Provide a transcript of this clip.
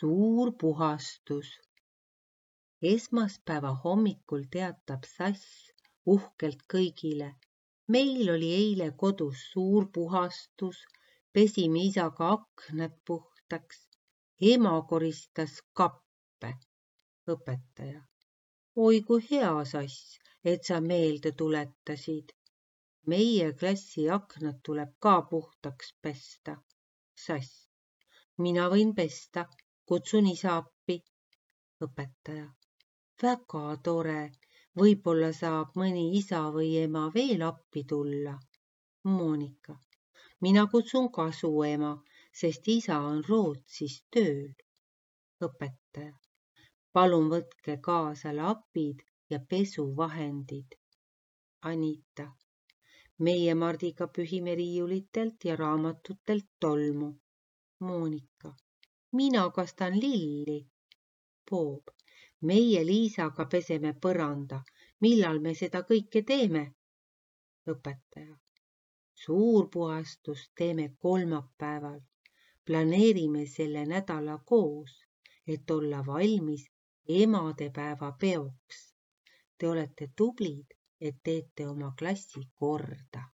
Suur puhastus. Esmaspäeva hommikul teatab Sass uhkelt kõigile. Meil oli eile kodus suur puhastus, pesime isaga aknad puhtaks. Ema koristas kappe. Õpetaja. Oi kui hea, Sass, et sa meelde tuletasid. Meie klassi aknad tuleb ka puhtaks pesta. Sass. Mina võin pesta, kutsun isa appi. Õpetaja. Väga tore, võib-olla saab mõni isa või ema veel appi tulla. Monika. Mina kutsun ka su ema, sest isa on Rootsis tööl. Õpetaja. Palun võtke kaasa lapid ja pesuvahendid. Anita. Meie Mardiga pühime riiulitelt ja raamatutelt tolmu. Monika. Mina kastan lilli. Boob. Meie Liisaga peseme põranda. Millal me seda kõike teeme? Õpetaja. Suur puhastus teeme kolmapäeval. Planeerime selle nädala koos, et olla valmis emadepäeva peoks. Te olete tublid, et teete oma klassi korda.